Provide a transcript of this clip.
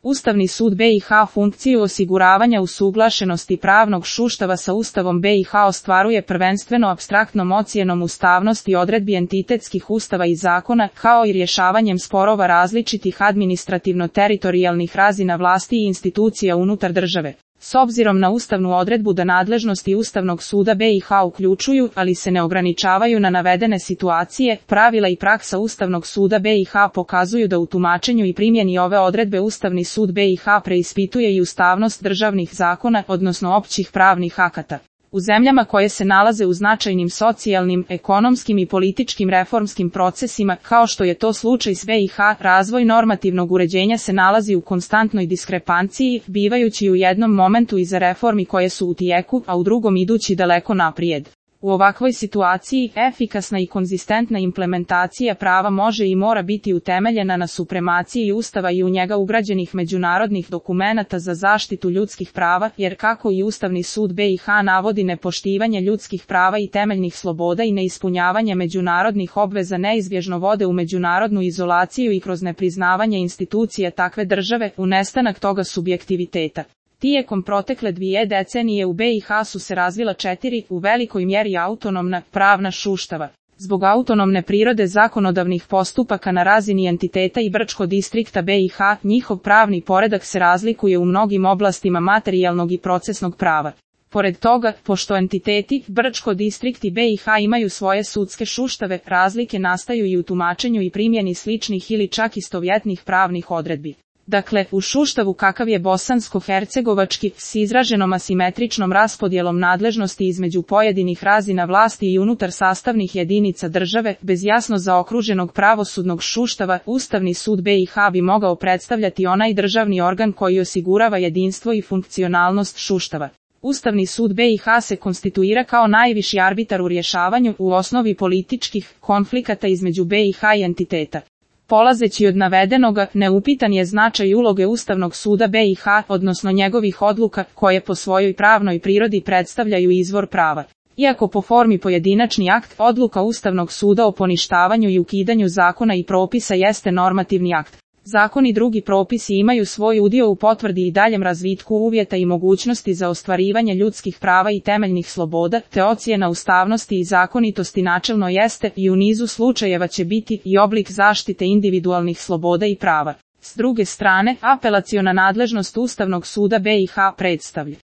Ustavni sud BiH funkciju osiguravanja usuglašenosti pravnog sustava sa Ustavom BiH ostvaruje prvenstveno apstraktnom ocjenom ustavnosti odredbi entitetskih ustava i zakona, kao i rješavanjem sporova različitih administrativno-teritorijalnih razina vlasti i institucija unutar države. S obzirom na ustavnu odredbu da nadležnosti Ustavnog suda BiH uključuju, ali se ne ograničavaju na navedene situacije, pravila i praksa Ustavnog suda BiH pokazuju da u tumačenju i primjeni ove odredbe Ustavni sud BiH preispituje i ustavnost državnih zakona, odnosno općih pravnih akata. U zemljama koje se nalaze u značajnim socijalnim, ekonomskim i političkim reformskim procesima, kao što je to slučaj s BiH, razvoj normativnog uređenja se nalazi u konstantnoj diskrepanciji, bivajući u jednom momentu iza reformi koje su u tijeku, a u drugom idući daleko naprijed. U ovakvoj situaciji, efikasna i konzistentna implementacija prava može i mora biti utemeljena na supremaciji Ustava i u njega ugrađenih međunarodnih dokumenata za zaštitu ljudskih prava, jer kako i Ustavni sud BiH navodi, nepoštivanje ljudskih prava i temeljnih sloboda i neispunjavanje međunarodnih obveza neizbježno vode u međunarodnu izolaciju i kroz nepriznavanje institucija takve države, u nestanak toga subjektiviteta. Tijekom protekle 2 decenije u BiH su se razvila 4, u velikoj mjeri autonomna, pravna sustava. Zbog autonomne prirode zakonodavnih postupaka na razini entiteta i Brčko distrikta BiH, njihov pravni poredak se razlikuje u mnogim oblastima materijalnog i procesnog prava. Pored toga, pošto entiteti, Brčko distrikt i BiH imaju svoje sudske sustave, razlike nastaju i u tumačenju i primjeni sličnih ili čak istovjetnih pravnih odredbi. Dakle, u sustavu kakav je bosansko-hercegovački, s izraženom asimetričnom raspodjelom nadležnosti između pojedinih razina vlasti i unutar sastavnih jedinica države, bez jasno zaokruženog pravosudnog sustava, Ustavni sud BiH bi mogao predstavljati onaj državni organ koji osigurava jedinstvo i funkcionalnost sustava. Ustavni sud BiH se konstituira kao najviši arbitar u rješavanju, u osnovi političkih, konflikata između BiH i entiteta. Polazeći od navedenoga, neupitan je značaj uloge Ustavnog suda BiH, odnosno njegovih odluka, koje po svojoj pravnoj prirodi predstavljaju izvor prava. Iako po formi pojedinačni akt, odluka Ustavnog suda o poništavanju i ukidanju zakona i propisa jeste normativni akt. Zakoni i drugi propisi imaju svoj udio u potvrdi i daljem razvitku uvjeta i mogućnosti za ostvarivanje ljudskih prava i temeljnih sloboda, te ocjena ustavnosti i zakonitosti načelno jeste i u nizu slučajeva će biti i oblik zaštite individualnih sloboda i prava. S druge strane, apelaciona nadležnost Ustavnog suda BiH predstavlja